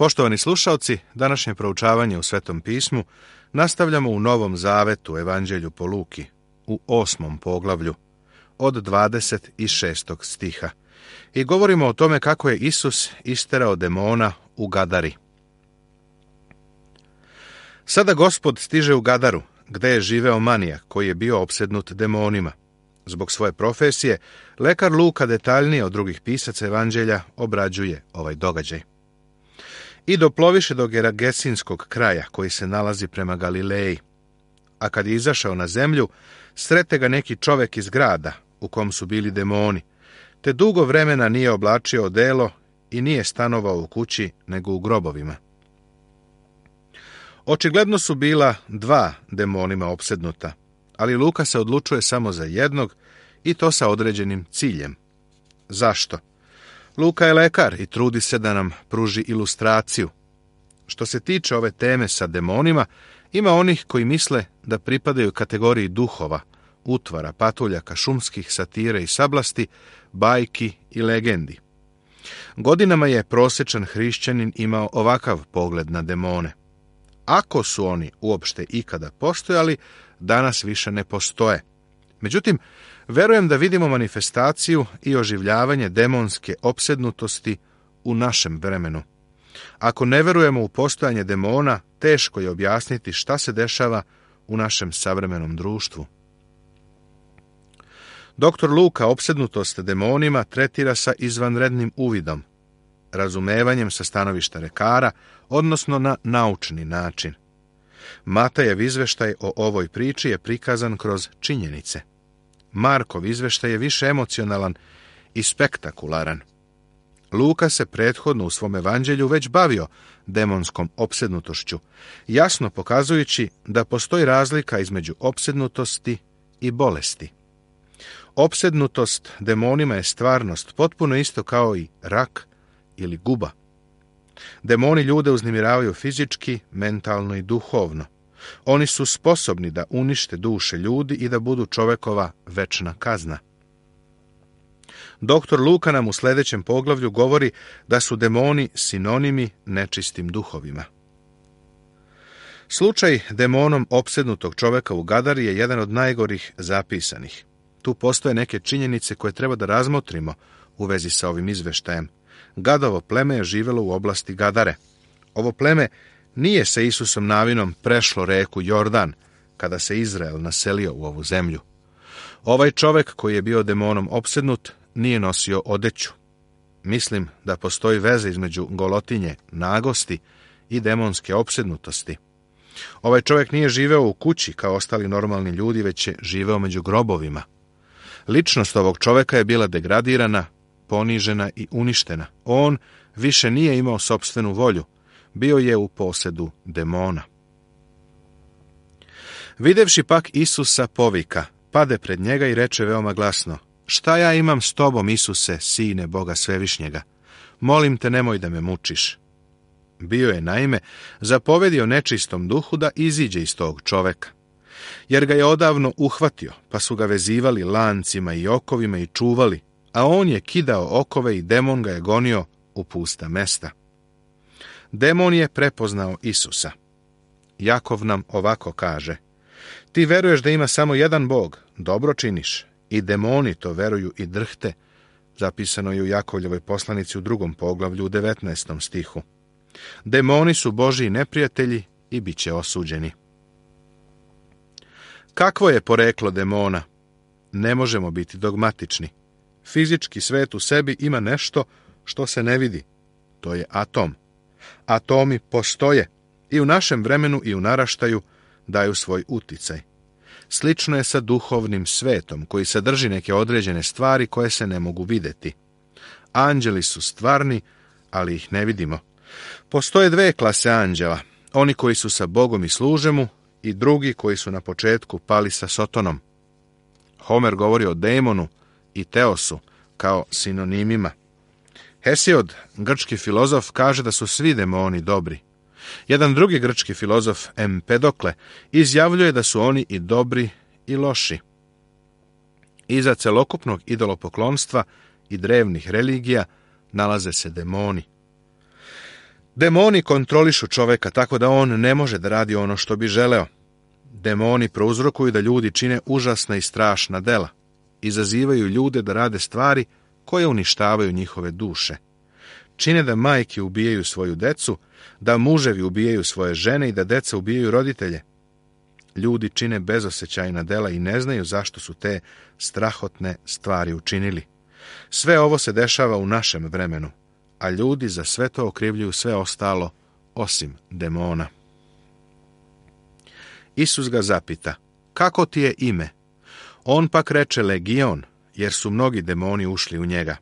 Poštovani slušalci, današnje proučavanje u Svetom pismu nastavljamo u Novom Zavetu, Evanđelju po Luki, u 8. poglavlju, od 26. stiha. I govorimo o tome kako je Isus isterao demona u Gadari. Sada Gospod stiže u Gadaru, gde je živeo manijak koji je bio opsednut demonima. Zbog svoje profesije, lekar Luka detaljnije od drugih pisaca Evanđelja obrađuje ovaj događaj. I doploviše do Geragesinskog kraja, koji se nalazi prema Galileji. A kad je izašao na zemlju, srete ga neki čovek iz grada, u kom su bili demoni, te dugo vremena nije oblačio odelo i nije stanovao u kući, nego u grobovima. Očigledno su bila dva demonima opsednuta, ali Luka se odlučuje samo za jednog i to sa određenim ciljem. Zašto? Luka je lekar i trudi se da nam pruži ilustraciju. Što se tiče ove teme sa demonima, ima onih koji misle da pripadaju kategoriji duhova, utvara, patuljaka, šumskih satire i sablasti, bajki i legendi. Godinama je prosječan hrišćanin imao ovakav pogled na demone. Ako su oni uopšte ikada postojali, danas više ne postoje. Međutim, verujem da vidimo manifestaciju i oživljavanje demonske opsednutosti u našem vremenu. Ako ne verujemo u postojanje demona, teško je objasniti šta se dešava u našem savremenom društvu. Doktor Luka opsednutost demonima tretira sa izvanrednim uvidom, razumevanjem sa stanovišta lekara, odnosno na naučni način. Matajev izveštaj o ovoj priči je prikazan kroz činjenice. Markov izveštaj je više emocionalan i spektakularan. Luka se prethodno u svom evanđelju već bavio demonskom opsednutošću, jasno pokazujući da postoji razlika između opsednutosti i bolesti. Opsednutost demonima je stvarnost, potpuno isto kao i rak ili guba. Demoni ljude uznemiravaju fizički, mentalno i duhovno. Oni su sposobni da unište duše ljudi i da budu čovekova večna kazna. Doktor Luka nam u sljedećem poglavlju govori da su demoni sinonimi nečistim duhovima. Slučaj demonom opsednutog čoveka u Gadari je jedan od najgorih zapisanih. Tu postoje neke činjenice koje treba da razmotrimo u vezi sa ovim izveštajem. Gadovo pleme je živelo u oblasti Gadare. Ovo pleme nije sa Isusom navinom prešlo reku Jordan kada se Izrael naselio u ovu zemlju. Ovaj čovek koji je bio demonom opsednut nije nosio odeću. Mislim da postoji veza između golotinje, nagosti i demonske opsednutosti. Ovaj čovjek nije živeo u kući kao ostali normalni ljudi, već je živeo među grobovima. Ličnost ovog čovjeka je bila degradirana, ponižena i uništena. On više nije imao sopstvenu volju. Bio je u posedu demona. Videvši pak Isusa povika, pade pred njega i reče veoma glasno: Šta ja imam s tobom, Isuse, sine Boga Svevišnjega? Molim te, nemoj da me mučiš. Bio je naime zapovedio nečistom duhu da iziđe iz tog čoveka, jer ga je odavno uhvatio, pa su ga vezivali lancima i okovima i čuvali, a on je kidao okove i demon ga je gonio u pusta mesta. Demon je prepoznao Isusa. Jakov nam ovako kaže: Ti veruješ da ima samo jedan Bog, dobro činiš. I demoni to veruju i drhte. Zapisano je u Jakovljevoj poslanici u 2. poglavlju u 19. stihu. Demoni su Božji neprijatelji i bit će osuđeni. Kakvo je poreklo demona? Ne možemo biti dogmatični. Fizički svet u sebi ima nešto što se ne vidi. To je atom. Atomi postoje i u našem vremenu i u naraštaju daju svoj uticaj. Slično je sa duhovnim svetom, koji sadrži neke određene stvari koje se ne mogu vidjeti. Anđeli su stvarni, ali ih ne vidimo. Postoje dve klase anđela, oni koji su sa Bogom i služe mu, i drugi koji su na početku pali sa Sotonom. Homer govori o demonu i teosu kao sinonimima. Hesiod, grčki filozof, kaže da su svi demoni dobri. Jedan drugi grčki filozof, Empedokle, izjavljuje da su oni i dobri i loši. Iza celokupnog idolopoklonstva i drevnih religija nalaze se demoni. Demoni kontrolišu čoveka tako da on ne može da radi ono što bi želeo. Demoni prouzrokuju da ljudi čine užasna i strašna dela. Izazivaju ljude da rade stvari koje uništavaju njihove duše. Čine da majke ubijaju svoju decu, da muževi ubijaju svoje žene i da deca ubijaju roditelje. Ljudi čine bezosećajna dela i ne znaju zašto su te strahotne stvari učinili. Sve ovo se dešava u našem vremenu, a ljudi za sve to okrivljuju sve ostalo, osim demona. Isus ga zapita, kako ti je ime? On pak reče Legion, jer su mnogi demoni ušli u njega.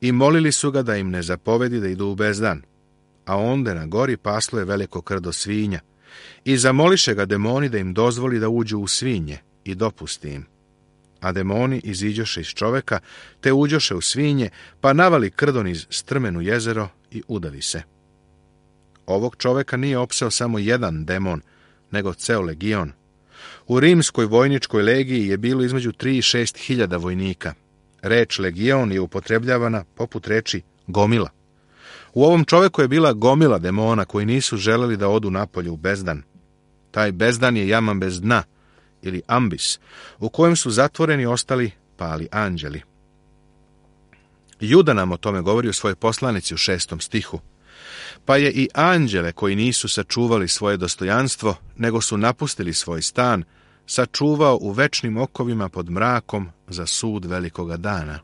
I molili su ga da im ne zapovedi da idu u bezdan. A onda na gori paslo je veliko krdo svinja. I zamoliše ga demoni da im dozvoli da uđu u svinje i dopusti im. A demoni iziđoše iz čoveka, te uđoše u svinje, pa navali krdo niz strmenu jezero i udavi se. Ovog čoveka nije opseo samo jedan demon, nego ceo legion. U rimskoj vojničkoj legiji je bilo između 3 i 6 hiljada vojnika. Reč legion je upotrebljavana poput reči gomila. U ovom čoveku je bila gomila demona koji nisu želeli da odu napolje u bezdan. Taj bezdan je jama bez dna, ili ambis, u kojem su zatvoreni ostali pali anđeli. Juda nam o tome govori u svojoj poslanici u 6. stihu. Pa je i anđele koji nisu sačuvali svoje dostojanstvo, nego su napustili svoj stan, sačuvao u večnim okovima pod mrakom za sud velikoga dana.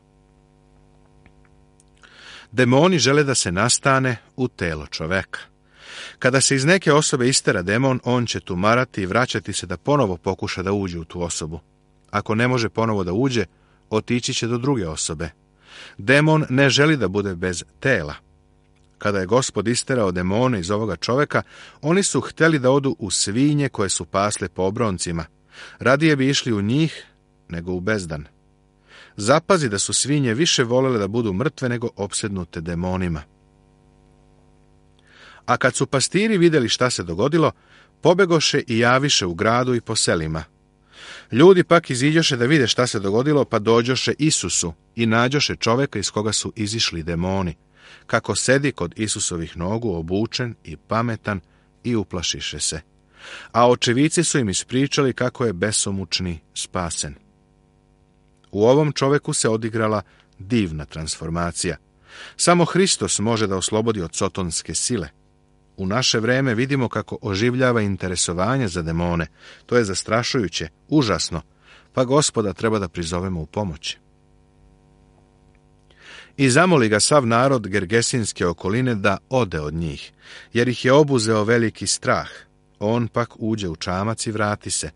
Demoni žele da se nastane u telo čoveka. Kada se iz neke osobe istera demon, on će tumarati i vraćati se da ponovo pokuša da uđe u tu osobu. Ako ne može ponovo da uđe, otići će do druge osobe. Demon ne želi da bude bez tela. Kada je Gospod isterao demone iz ovoga čoveka, oni su hteli da odu u svinje koje su pasle po obroncima. Radije bi išli u njih nego u bezdan. Zapazi da su svinje više volele da budu mrtve nego opsednute demonima. A kad su pastiri vidjeli šta se dogodilo, pobegoše i javiše u gradu i po selima. Ljudi pak iziđoše da vide šta se dogodilo, pa dođoše Isusu i nađoše čoveka iz koga su izišli demoni, kako sedi kod Isusovih nogu obučen i pametan, i uplašiše se. A očevici su im ispričali kako je besomučni spasen. U ovom čoveku se odigrala divna transformacija. Samo Hristos može da oslobodi od sotonske sile. U naše vreme vidimo kako oživljava interesovanje za demone. To je zastrašujuće, užasno, pa Gospoda treba da prizovemo u pomoć. I zamoli ga sav narod Gergesinske okoline da ode od njih, jer ih je obuzeo veliki strah. On pak uđe u čamac i vrati se,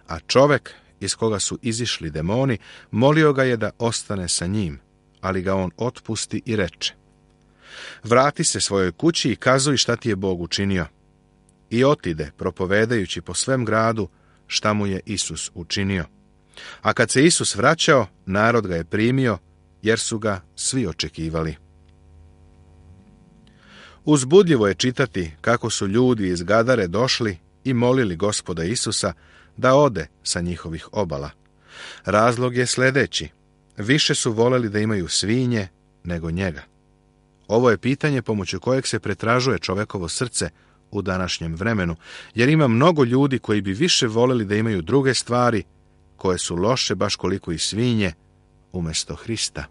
a čovek iz koga su izišli demoni molio ga je da ostane sa njim, ali ga on otpusti i reče: vrati se svojoj kući i kazuj šta ti je Bog učinio. I otide, propovedajući po svem gradu šta mu je Isus učinio. A kad se Isus vraćao, narod ga je primio, jer su ga svi očekivali. Uzbudljivo je čitati kako su ljudi iz Gadare došli i molili Gospoda Isusa da ode sa njihovih obala. Razlog je sljedeći: više su voleli da imaju svinje nego njega. Ovo je pitanje pomoću kojeg se pretražuje čovekovo srce u današnjem vremenu, jer ima mnogo ljudi koji bi više voleli da imaju druge stvari, koje su loše baš koliko i svinje, umjesto Hrista.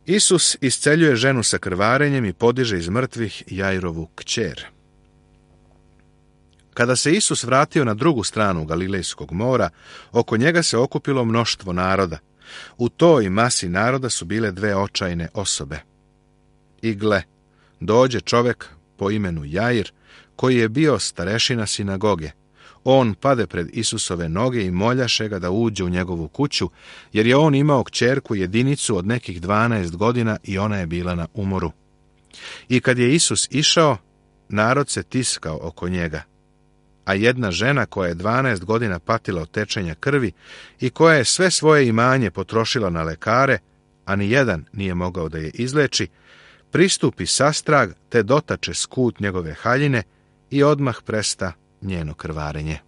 Isus isceljuje ženu sa krvarenjem i podiže iz mrtvih Jairovu kćer. Kada se Isus vratio na drugu stranu Galilejskog mora, oko njega se okupilo mnoštvo naroda. U toj masi naroda su bile dve očajne osobe. I gle, dođe čovek po imenu Jair, koji je bio starešina sinagoge. On pade pred Isusove noge i moljaše ga da uđe u njegovu kuću, jer je on imao kćerku jedinicu od nekih 12 godina i ona je bila na umoru. I kad je Isus išao, narod se tiskao oko njega. A jedna žena koja je 12 godina patila od tečenja krvi i koja je sve svoje imanje potrošila na lekare, a ni jedan nije mogao da je izleči, pristupi sastrag te dotače skut njegove haljine i odmah presta njeno krvarenje.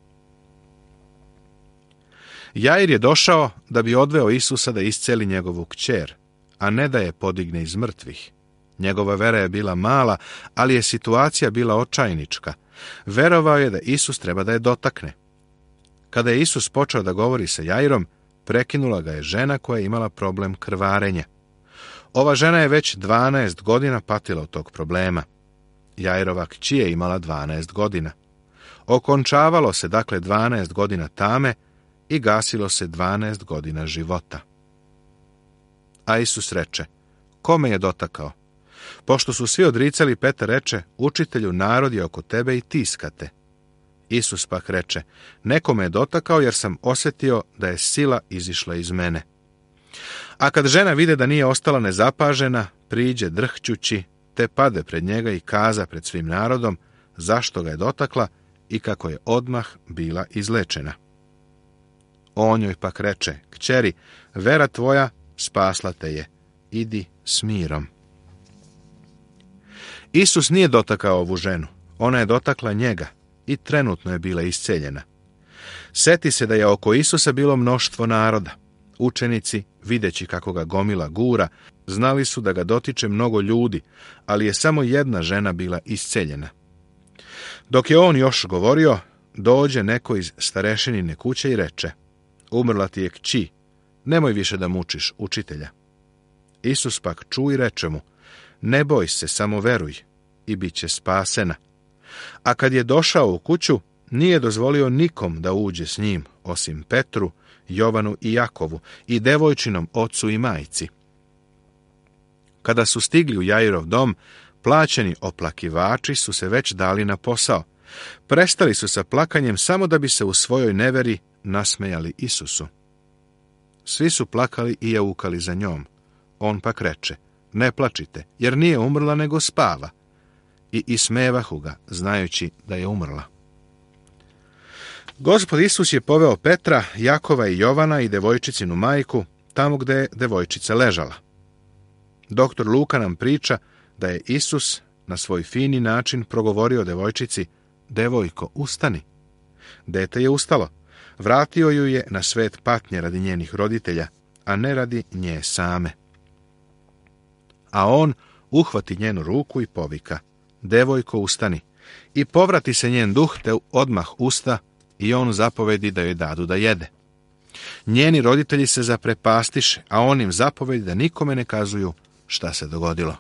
Jair je došao da bi odveo Isusa da isceli njegovu kćer, a ne da je podigne iz mrtvih. Njegova vera je bila mala, ali je situacija bila očajnička. Verovao je da Isus treba da je dotakne. Kada je Isus počeo da govori sa Jairom, prekinula ga je žena koja je imala problem krvarenja. Ova žena je već 12 godina patila od tog problema. Jairova kći je imala 12 godina. Okončavalo se dakle 12 godina tame i gasilo se 12 godina života. A Isus reče, kome je dotakao? Pošto su svi odricali, Petar reče, učitelju, narod je oko tebe i tiskate. Isus pak reče, nekome je dotakao jer sam osjetio da je sila izišla iz mene. A kad žena vide da nije ostala nezapažena, priđe drhćući, te pade pred njega i kaza pred svim narodom zašto ga je dotakla i kako je odmah bila izlečena. On joj pak reče, kćeri, vera tvoja spasla te je, idi s mirom. Isus nije dotakao ovu ženu, ona je dotakla njega i trenutno je bila isceljena. Seti se da je oko Isusa bilo mnoštvo naroda. Učenici, videći kako ga gomila gura, znali su da ga dotiče mnogo ljudi, ali je samo jedna žena bila isceljena. Dok je on još govorio, dođe neko iz starešinine kuće i reče, umrla ti je kći, nemoj više da mučiš učitelja. Isus pak čuje i reče mu, ne boj se, samo veruj i bit će spasena. A kad je došao u kuću, nije dozvolio nikom da uđe s njim, osim Petru, Jovanu i Jakovu i devojčinom ocu i majci. Kada su stigli u Jairov dom, plaćeni oplakivači su se već dali na posao. Prestali su sa plakanjem samo da bi se u svojoj neveri nasmejali Isusu. Svi su plakali i jaukali za njom. On pak reče, ne plačite, jer nije umrla nego spava. I ismevahu ga, znajući da je umrla. Gospod Isus je poveo Petra, Jakova i Jovana i devojčicinu majku tamo gde je devojčica ležala. Doktor Luka nam priča da je Isus na svoj fini način progovorio devojčici, devojko, ustani. Dete je ustalo. Vratio ju je na svet patnje radi njenih roditelja, a ne radi nje same. A on uhvati njenu ruku i povika, devojko, ustani. I povrati se njen duh, te odmah usta i on zapovedi da joj dadu da jede. Njeni roditelji se zaprepastiše, a on im zapovedi da nikome ne kazuju šta se dogodilo.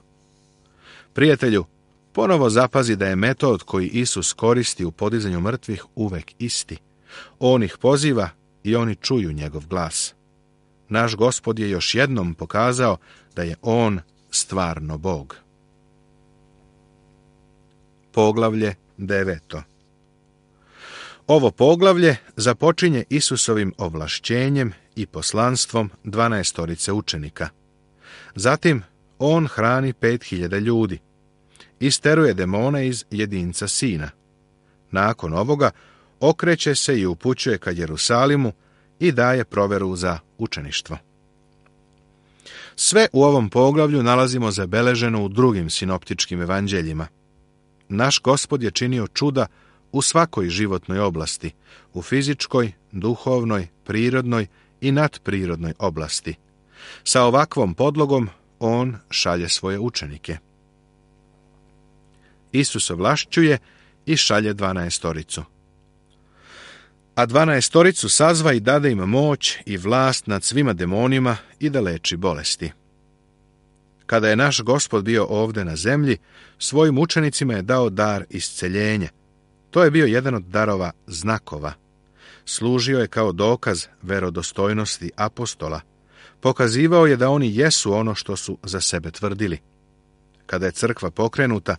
Prijatelju, ponovo zapazi da je metod koji Isus koristi u podizanju mrtvih uvek isti. On ih poziva i oni čuju njegov glas. Naš Gospod je još jednom pokazao da je on stvarno Bog. Poglavlje 9. Ovo poglavlje započinje Isusovim ovlašćenjem i poslanstvom 12 učenika. Zatim on hrani 5000 ljudi. Isteruje demone iz jedinca sina. Nakon ovoga okreće se i upućuje ka Jerusalimu i daje proveru za učeništvo. Sve u ovom poglavlju nalazimo zabeleženo u drugim sinoptičkim evanđeljima. Naš Gospod je činio čuda u svakoj životnoj oblasti, u fizičkoj, duhovnoj, prirodnoj i nadprirodnoj oblasti. Sa ovakvom podlogom on šalje svoje učenike. Isus ovlašćuje i šalje 12. A 12 sazva i dade im moć i vlast nad svima demonima i da leči bolesti. Kada je naš Gospod bio ovde na zemlji, svojim učenicima je dao dar isceljenja. To je bio jedan od darova znakova. Služio je kao dokaz verodostojnosti apostola. Pokazivao je da oni jesu ono što su za sebe tvrdili. Kada je crkva pokrenuta,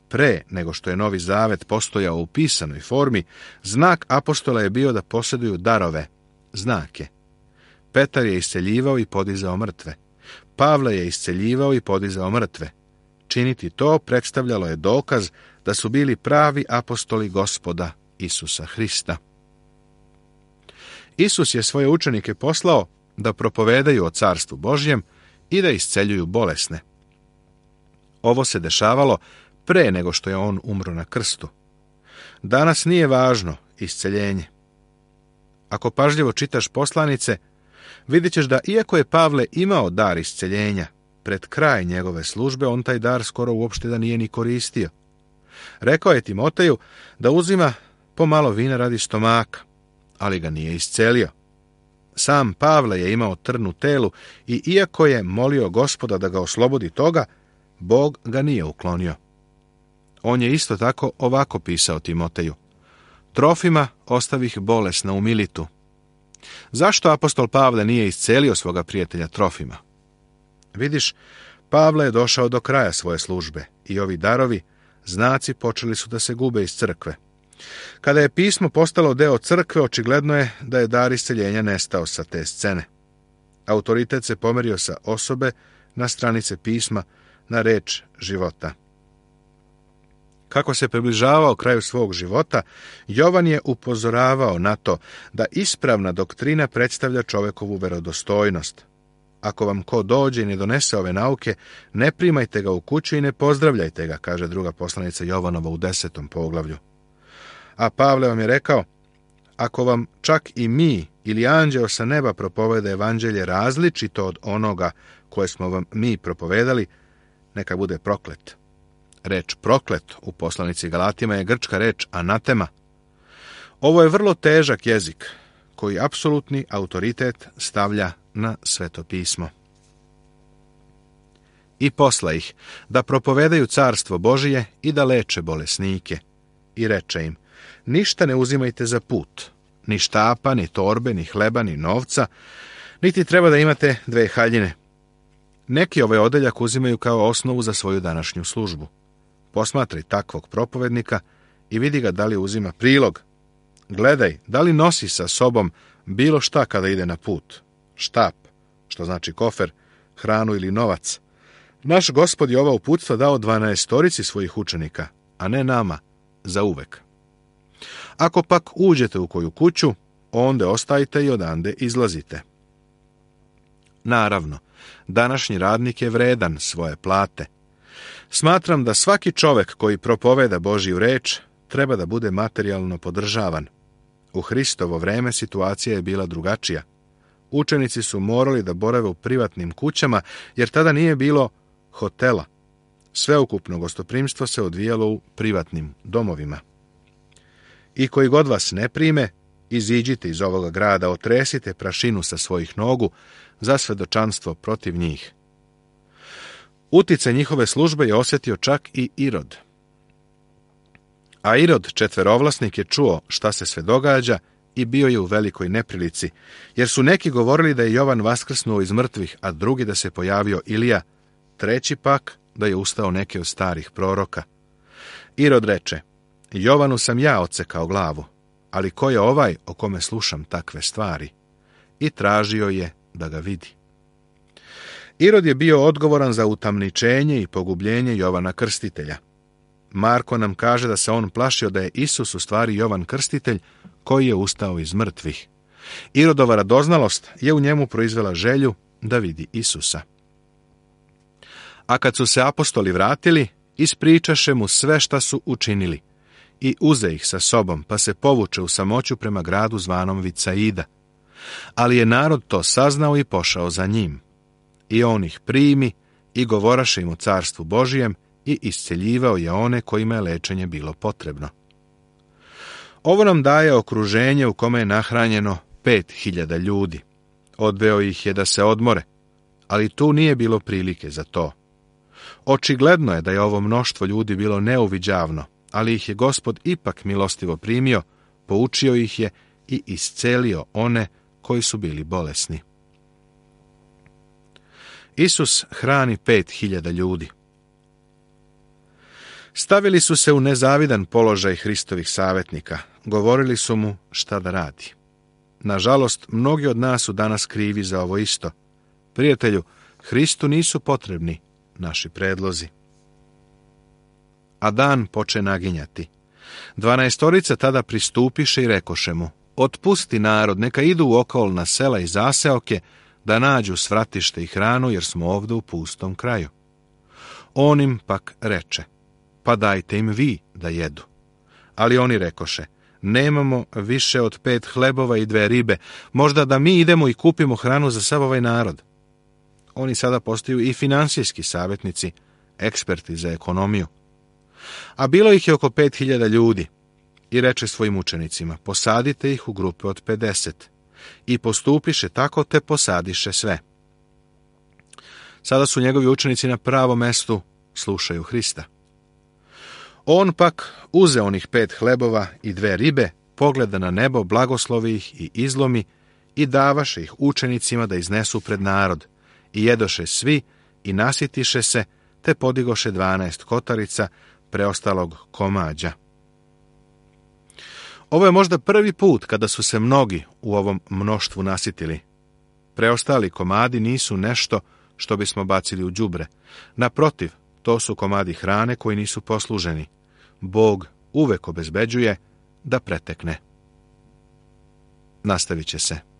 pre nego što je Novi Zavet postojao u pisanoj formi, znak apostola je bio da posjeduju darove, znake. Petar je isceljivao i podizao mrtve. Pavle je isceljivao i podizao mrtve. Činiti to predstavljalo je dokaz da su bili pravi apostoli Gospoda Isusa Hrista. Isus je svoje učenike poslao da propovedaju o carstvu Božjem i da isceljuju bolesne. Ovo se dešavalo pre nego što je on umro na krstu. Danas nije važno isceljenje. Ako pažljivo čitaš poslanice, vidjet ćeš da iako je Pavle imao dar isceljenja, pred kraj njegove službe on taj dar skoro uopšte da nije ni koristio. Rekao je Timoteju da uzima pomalo vina radi stomaka, ali ga nije iscelio. Sam Pavle je imao trn u telu i iako je molio Gospoda da ga oslobodi toga, Bog ga nije uklonio. On je isto tako ovako pisao Timoteju: Trofima ostavih bolesna u Militu. Zašto apostol Pavle nije iscelio svoga prijatelja Trofima? Vidiš, Pavle je došao do kraja svoje službe i ovi darovi, znaci, počeli su da se gube iz crkve. Kada je pismo postalo deo crkve, očigledno je da je dar isceljenja nestao sa te scene. Autoritet se pomerio sa osobe na stranice pisma na reč života. Kako se približavao kraju svog života, Jovan je upozoravao na to da ispravna doktrina predstavlja čovekovu verodostojnost. Ako vam ko dođe i ne donese ove nauke, ne primajte ga u kuću i ne pozdravljajte ga, kaže druga poslanica Jovanova u 10. poglavlju. A Pavle vam je rekao: ako vam čak i mi ili anđeo sa neba propovede evanđelje različito od onoga koje smo vam mi propovedali, neka bude proklet. Reč proklet u poslanici Galatima je grčka reč anatema. Ovo je vrlo težak jezik koji apsolutni autoritet stavlja na Sveto pismo. I posla ih da propovedaju carstvo Božije i da leče bolesnike. I reče im: ništa ne uzimajte za put, ni štapa, ni torbe, ni hleba, ni novca, niti treba da imate 2 haljine. Neki ovaj odeljak uzimaju kao osnovu za svoju današnju službu. Posmatraj takvog propovednika i vidi ga da li uzima prilog. Gledaj, da li nosi sa sobom bilo šta kada ide na put. Štap, što znači kofer, hranu ili novac. Naš Gospod je ova uputstva dao 12 svojih učenika, a ne nama, za uvek. Ako pak uđete u koju kuću, onda ostajte i odande izlazite. Naravno, današnji radnik je vredan svoje plate. Smatram da svaki čovek koji propoveda Božju reč treba da bude materijalno podržavan. U Hristovo vreme situacija je bila drugačija. Učenici su morali da borave u privatnim kućama, jer tada nije bilo hotela. Sveukupno gostoprimstvo se odvijalo u privatnim domovima. I koji god vas ne prime, iziđite iz ovoga grada, otresite prašinu sa svojih nogu za svedočanstvo protiv njih. Uticaj njihove službe je osjetio čak i Irod. A Irod, četverovlasnik, je čuo šta se sve događa i bio je u velikoj neprilici, jer su neki govorili da je Jovan vaskrsnuo iz mrtvih, a drugi da se pojavio Ilija, treći pak da je ustao neki od starih proroka. Irod reče: Jovanu sam ja odsekao glavu, ali ko je ovaj o kome slušam takve stvari? I tražio je da ga vidi. Irod je bio odgovoran za utamničenje i pogubljenje Jovana Krstitelja. Marko nam kaže da se on plašio da je Isus u stvari Jovan Krstitelj koji je ustao iz mrtvih. Irodova radoznalost je u njemu proizvela želju da vidi Isusa. A kad su se apostoli vratili, ispričaše mu sve šta su učinili i uze ih sa sobom, pa se povuče u samoću prema gradu zvanom Vicaida. Ali je narod to saznao i pošao za njim. I on ih primi i govoraše im o carstvu Božijem i isceljivao je one kojima je lečenje bilo potrebno. Ovo nam daje okruženje u kome je nahranjeno 5.000 ljudi. Odveo ih je da se odmore, ali tu nije bilo prilike za to. Očigledno je da je ovo mnoštvo ljudi bilo neuviđavno, ali ih je Gospod ipak milostivo primio, poučio ih je i iscelio one koji su bili bolesni. Isus hrani 5.000 ljudi. Stavili su se u nezavidan položaj Hristovih savjetnika, govorili su mu šta da radi. Nažalost, mnogi od nas su danas krivi za ovo isto. Prijatelju, Hristu nisu potrebni naši predlozi. A dan poče naginjati. 12 tada pristupiše i rekoše mu: otpusti narod, neka idu u okolna sela i zaseoke, da nađu svratište i hranu, jer smo ovde u pustom kraju. On im pak reče: pa dajte im vi da jedu. Ali oni rekoše: nemamo više od 5 hlebova i 2 ribe, možda da mi idemo i kupimo hranu za sav ovaj narod. oni sada postaju i finansijski savjetnici, eksperti za ekonomiju. A bilo ih je oko 5000 ljudi i reče svojim učenicima, posadite ih u grupe od 50 i postupiše tako te posadiše sve. Sada su njegovi učenici na pravom mestu, slušaju Hrista. On pak uze onih 5 hlebova i 2 ribe, pogleda na nebo, blagoslovi ih i izlomi i davaše ih učenicima da iznesu pred narod. I jedoše svi i nasitiše se, te podigoše 12 kotarica preostalog komađa. Ovo je možda prvi put kada su se mnogi u ovom mnoštvu nasitili. Preostali komadi nisu nešto što bismo bacili u đubre. Naprotiv, to su komadi hrane koji nisu posluženi. Bog uvek obezbeđuje da pretekne. Nastavit će se.